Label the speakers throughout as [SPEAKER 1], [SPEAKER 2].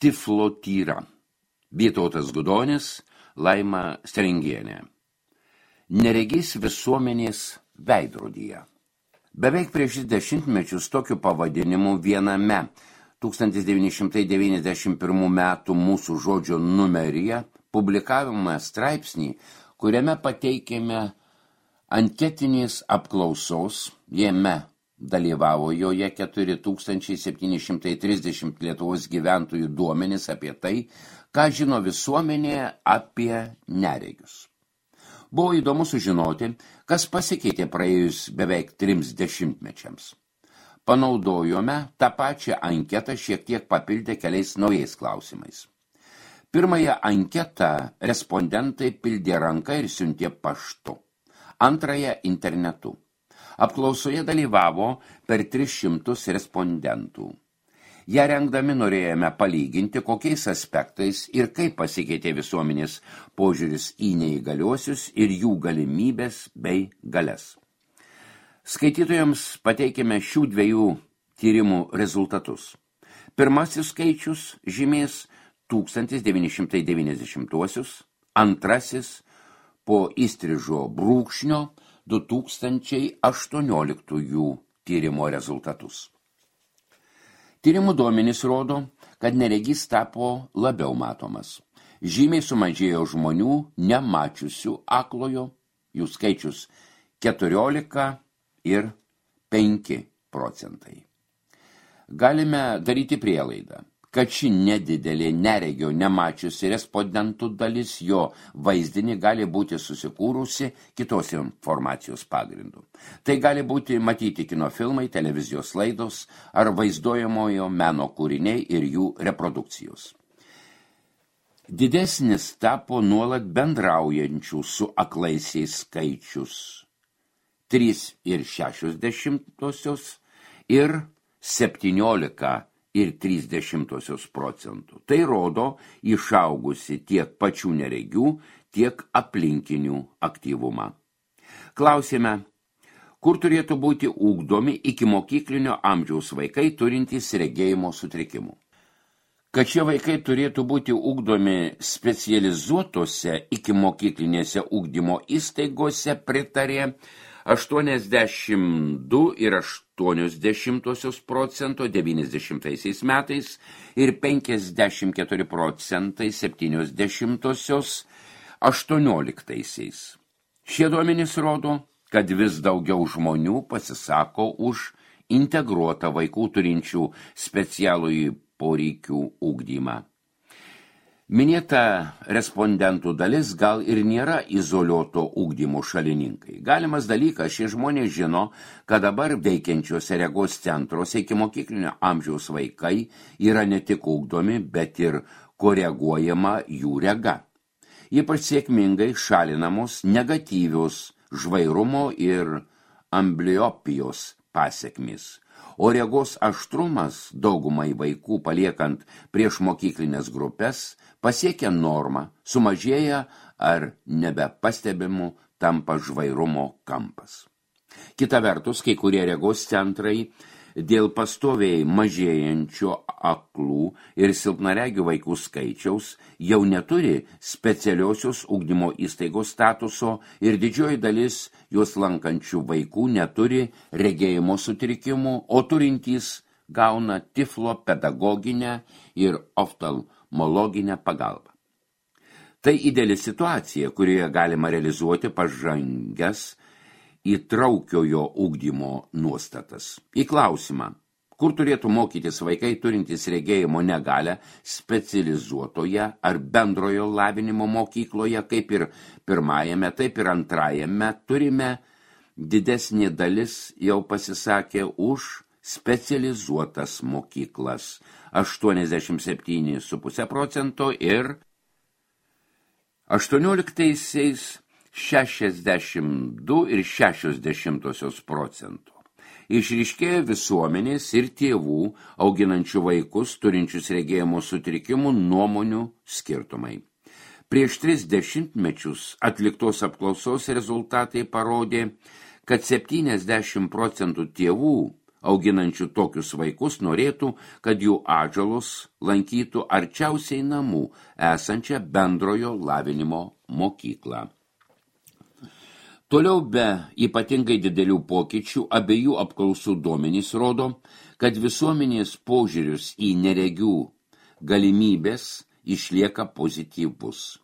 [SPEAKER 1] Tiflotyra. Vytautas Gudonis, Laima Stringienė. Neregys visuomenės veidrodyje. Beveik prieš 10 mečius tokiu pavadinimu viename 1991 metų Mūsų žodžio numeryje publikavome straipsnį, kuriame pateikėme anketinės apklausos, jame dalyvavo joje 4730 Lietuvos gyventojų duomenys apie tai, ką žino visuomenėje apie neregius. Buvo įdomu sužinoti, kas pasikeitė praėjus beveik 30 mečiams. Panaudojome tą pačią anketą šiek tiek papildę keliais naujais klausimais. Pirmąją anketą respondentai pildė ranka ir siuntė paštu. Antrąją internetu. Apklausoje dalyvavo per 300 respondentų. Ja rengdami norėjome palyginti, kokiais aspektais ir kaip pasikeitė visuomenės požiūris į neįgaliuosius ir jų galimybės bei galias. Skaitytojams pateikėme šių dviejų tyrimų rezultatus. Pirmasis skaičius žymės 1990-uosius, antrasis po įstrižo brūkšnio 2018 tyrimo rezultatus. Tyrimų duomenys rodo, kad neregys tapo labiau matomas. Žymiai sumažėjo žmonių nemačiusių aklojo, jų skaičius 14 ir 5%. Galime daryti prielaidą, kad ši nedidelė neregio nemačiusi respondentų dalis jo vaizdinį gali būti susikūrusi kitos informacijos pagrindu. Tai gali būti matyti kinofilmai, televizijos laidos ar vaizduojamojo meno kūriniai ir jų reprodukcijos. Didesnis tapo nuolat bendraujančių su aklaisiais skaičius 3,6 ir 17,3%. Tai rodo išaugusi tiek pačių neregių, tiek aplinkinių aktyvumą. Klausėme, kur turėtų būti ugdomi ikimokyklinio amžiaus vaikai turintys regėjimo sutrikimų. Kad šie vaikai turėtų būti ugdomi specializuotose ikimokyklinėse ugdymo įstaigose pritarė 82,8% 90 metais ir 54% 70 18. Šie duomenys rodo, kad vis daugiau žmonių pasisako už integruotą vaikų turinčių specialųjį poreikių ugdymą. Minėta respondentų dalis gal ir nėra izoliuoto ugdymo šalininkai. Galimas dalykas, šie žmonės žino, kad dabar veikiančiuose regos centruose ikimokyklinio amžiaus vaikai yra ne tik ugdomi, bet ir koreguojama jų rega. Ypač sėkmingai šalinamos negatyvios žvairumo ir ambliopijos pasekmės. O regos aštrumas daugumai vaikų paliekant prieš mokyklinės grupės pasiekia normą, sumažėja ar nebepastebimų tampa žvairumo kampas. Kita vertus, kai kurie regos centrai dėl pastoviai mažėjančio aklų ir silpnaregių vaikų skaičiaus jau neturi specialiosios ugdymo įstaigos statuso ir didžioji dalis juos lankančių vaikų neturi regėjimo sutrikimų, o turintys gauna tiflo pedagoginę ir oftalmologinę pagalbą. Tai ideali situacija, kurioje galima realizuoti pažangias įtraukiojo ugdymo nuostatas. Į klausimą, kur turėtų mokytis vaikai turintys regėjimo negalią specializuotoje ar bendrojo lavinimo mokykloje, kaip ir pirmajame, taip ir antrajame, turime didesnė dalis jau pasisakė už specializuotas mokyklas 87,5% ir 18 62,6%. Išryškėjo visuomenės ir tėvų, auginančių vaikus, turinčius regėjimo sutrikimų nuomonių skirtumai. Prieš 30 mečius atliktos apklausos rezultatai parodė, kad 70% tėvų auginančių tokius vaikus norėtų, kad jų atžalos lankytų arčiausiai namų esančią bendrojo lavinimo mokyklą. Toliau be ypatingai didelių pokyčių abiejų apklausų duomenys rodo, kad visuomenės požiūris į neregių galimybės išlieka pozityvus.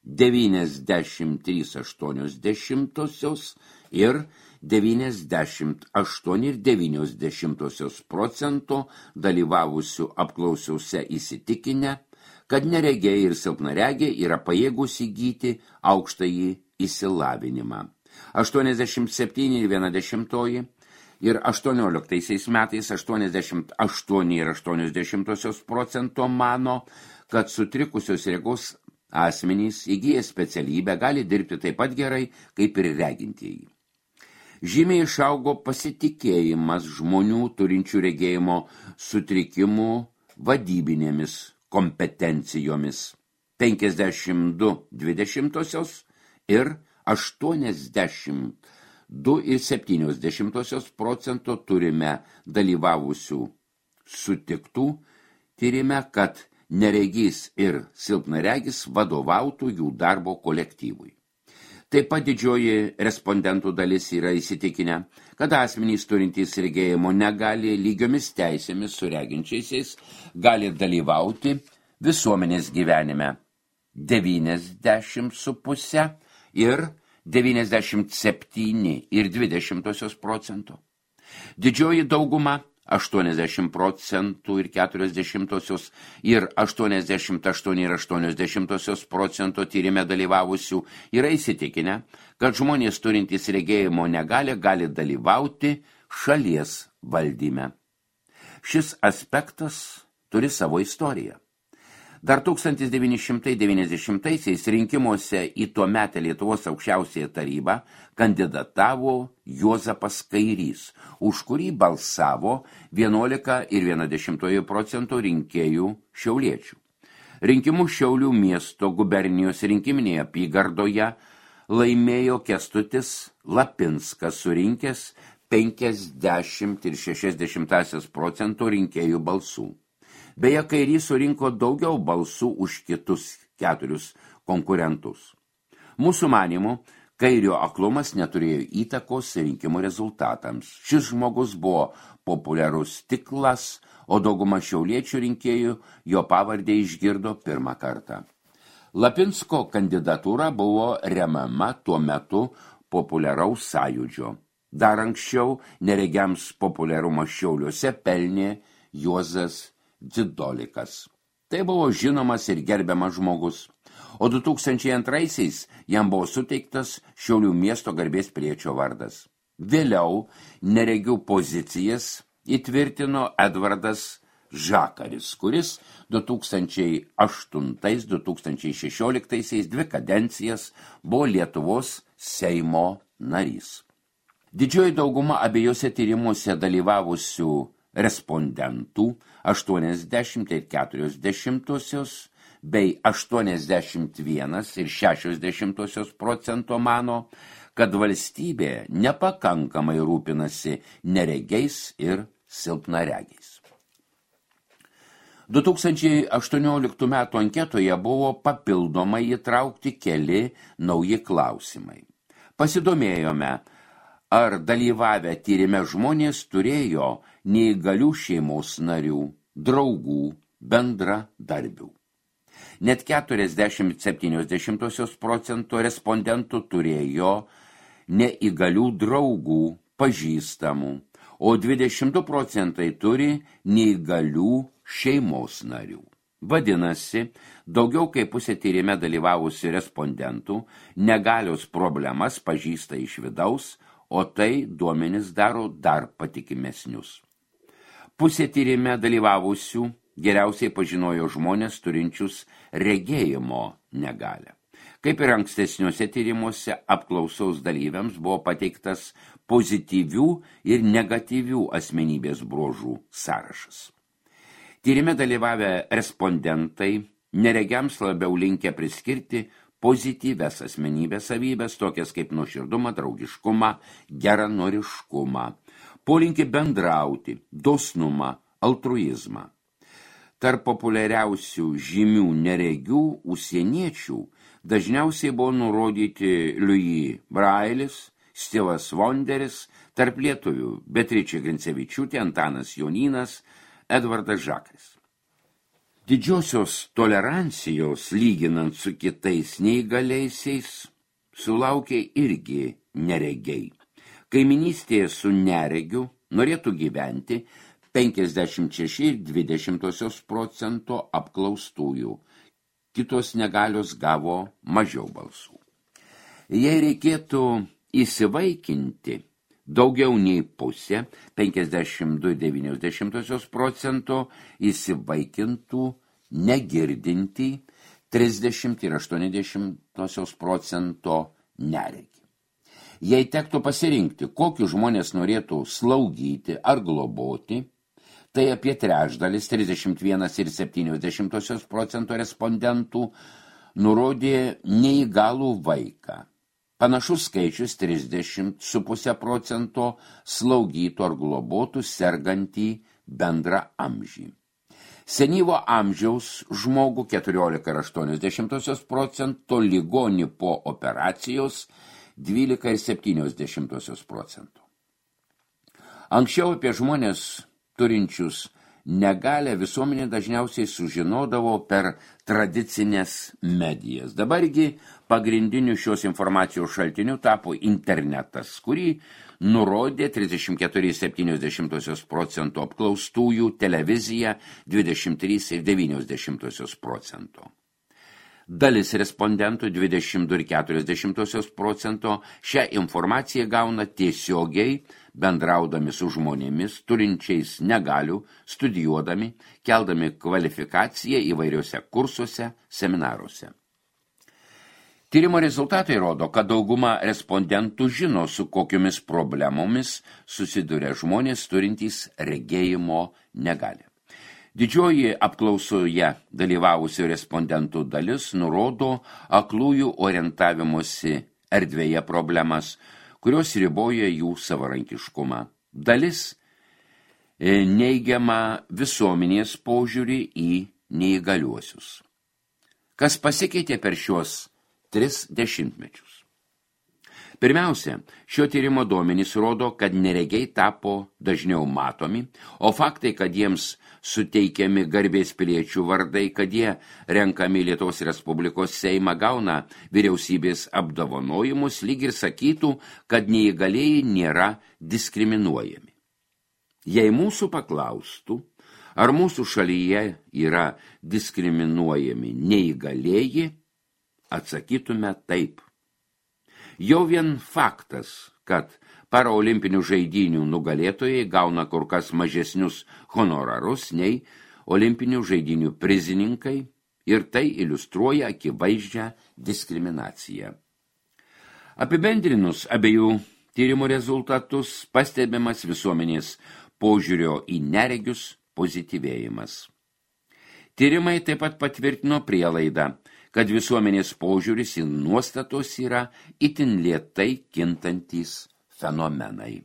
[SPEAKER 1] 93,8 ir 98,9% dalyvavusių apklausiause įsitikinę, kad neregiai ir silpnaregiai yra pajėgūs įgyti aukštąjį išsilavinimą. 87,1 ir 18 metais 88,8% mano, kad sutrikusios regos asmenys įgyję specialybę gali dirbti taip pat gerai, kaip ir regintieji. Žymiai išaugo pasitikėjimas žmonių turinčių regėjimo sutrikimų vadybinėmis kompetencijomis 52,20 ir 82,7% turime dalyvavusių sutiktų tyrime, kad neregys ir silpnaregis vadovautų jų darbo kolektyvui. Taip pat didžioji respondentų dalis yra įsitikinę, kad asmenys turintys regėjimo negali lygiomis teisėmis su reginčiaisiais gali dalyvauti visuomenės gyvenime 90,5 ir 97,20%. Didžioji dauguma 80% ir 40% ir 88,8% tyrime dalyvavusių yra įsitikinę, kad žmonės turintys regėjimo negalią gali dalyvauti šalies valdyme. Šis aspektas turi savo istoriją. Dar 1990-aisiais rinkimuose į tuometę Lietuvos aukščiausiąją tarybą kandidatavo Juozapas Kairys, už kurį balsavo 11,1% rinkėjų šiauliečių. Rinkimus Šiaulių miesto gubernijos rinkiminėje apygardoje laimėjo Kęstutis Lapinskas, surinkęs 50,6% rinkėjų balsų. Beje, Kairys surinko daugiau balsų už kitus 4 konkurentus. Mūsų manymu, Kairio aklumas neturėjo įtakos rinkimų rezultatams. Šis žmogus buvo populiarus tiklas, o dauguma šiauliečių rinkėjų jo pavardę išgirdo pirmą kartą. Lapinsko kandidatūra buvo remiama tuo metu populiaraus sąjūdžio. Dar anksčiau neregiams populiarumą Šiauliuose pelnė Juozas Dzidolikas. Tai buvo žinomas ir gerbiamas žmogus, o 2002-aisiais jam buvo suteiktas Šiaulių miesto garbės piliečio vardas. Vėliau neregių pozicijas įtvirtino Edvardas Žakaris, kuris 2008-2016 2 kadencijas buvo Lietuvos Seimo narys. Didžioji dauguma abiejose tyrimuose dalyvavusių respondentų 80,4 bei 81,6% mano, kad valstybė nepakankamai rūpinasi neregiais ir silpnaregiais. 2018 metų anketoje buvo papildomai įtraukti keli nauji klausimai. Pasidomėjome, ar dalyvavę tyrime žmonės turėjo neįgalių šeimos narių, draugų, bendradarbių. Net 40,7% respondentų turėjo neįgalių draugų, pažįstamų, o 22% turi neįgalių šeimos narių. Vadinasi, daugiau kaip pusė tyrime dalyvavusių respondentų negalios problemas pažįsta iš vidaus, o tai duomenis daro dar patikimesnius. Pusė tyrime dalyvavusių geriausiai pažinojo žmonės turinčius regėjimo negalią. Kaip ir ankstesniuose tyrimuose, apklausos dalyviams buvo pateiktas pozityvių ir negatyvių asmenybės bruožų sąrašas. Tyrime dalyvavę respondentai neregiams labiau linkę priskirti pozityvias asmenybės savybės, tokias kaip nuoširdumą, draugiškumą, geranoriškumą. polinkį bendrauti, dosnumą, altruizmą. Tarp populiariausių žymių neregių užsieniečių dažniausiai buvo nurodyti Louis Brailis, Stivas Vonderis, tarp lietuvių Beatričė Grincevičiūtė, Antanas Jonynas, Edvardas Žakas. Didžiosios tolerancijos, lyginant su kitais neįgaliaisiais, sulaukė irgi neregiai. Kaiminystėje su neregiu norėtų gyventi 56,2% apklaustųjų. Kitos negalios gavo mažiau balsų. Jei reikėtų įsivaikinti, daugiau nei pusė, 52,9% įsivaikintų negirdintį, 30,8% neregį. Jei tektų pasirinkti, kokius žmonės norėtų slaugyti ar globoti, tai apie trečdalis, 31,7% respondentų nurodė neįgalų vaiką. Panašus skaičius 30,5% slaugytų ar globotų sergantį bendrą amžį. Senyvo amžiaus žmogų 14,8%, ligonį po operacijos 12,7%. Anksčiau apie žmonės turinčius negalią visuomenė dažniausiai sužinodavo per tradicinės medijas. Dabargi pagrindiniu šios informacijos šaltiniu tapo internetas, kurį nurodė 34,7% apklaustųjų, televizija 23,9%. Dalis respondentų 22,4% šią informaciją gauna tiesiogiai bendraudami su žmonėmis, turinčiais negalių, studijuodami, keldami kvalifikaciją įvairiuose kursuose, seminaruose. Tyrimo rezultatai rodo, kad dauguma respondentų žino, su kokiomis problemomis susiduria žmonės turintys regėjimo negalią. Didžioji apklausoje dalyvavusių respondentų dalis nurodo aklųjų orientavimosi erdvėje problemas, kurios riboja jų savarankiškumą. Dalis neigiama visuomenės požiūrį į neįgaliuosius. Kas pasikeitė per šios 3 dešimtmečius? Pirmiausia, šio tyrimo duomenys rodo, kad neregiai tapo dažniau matomi, o faktai, kad jiems suteikiami garbės piliečių vardai, kad jie renkami Lietuvos Respublikos Seimą, gauna vyriausybės apdovanojimus, lyg ir sakytų, kad neįgalieji nėra diskriminuojami. Jei mūsų paklaustų, ar mūsų šalyje yra diskriminuojami neįgalieji, atsakytume taip. Jau vien faktas, kad paraolimpinių žaidynių nugalėtojai gauna kur kas mažesnius honorarus nei olimpinių žaidynių prizininkai, ir tai iliustruoja akivaizdžią diskriminaciją. Apibendrinus abiejų tyrimų rezultatus, pastebimas visuomenės požiūrio į neregius pozityvėjimas. Tyrimai taip pat patvirtino prielaidą, kad visuomenės požiūris į nuostatos yra itin lėtai kintantys fenomenai.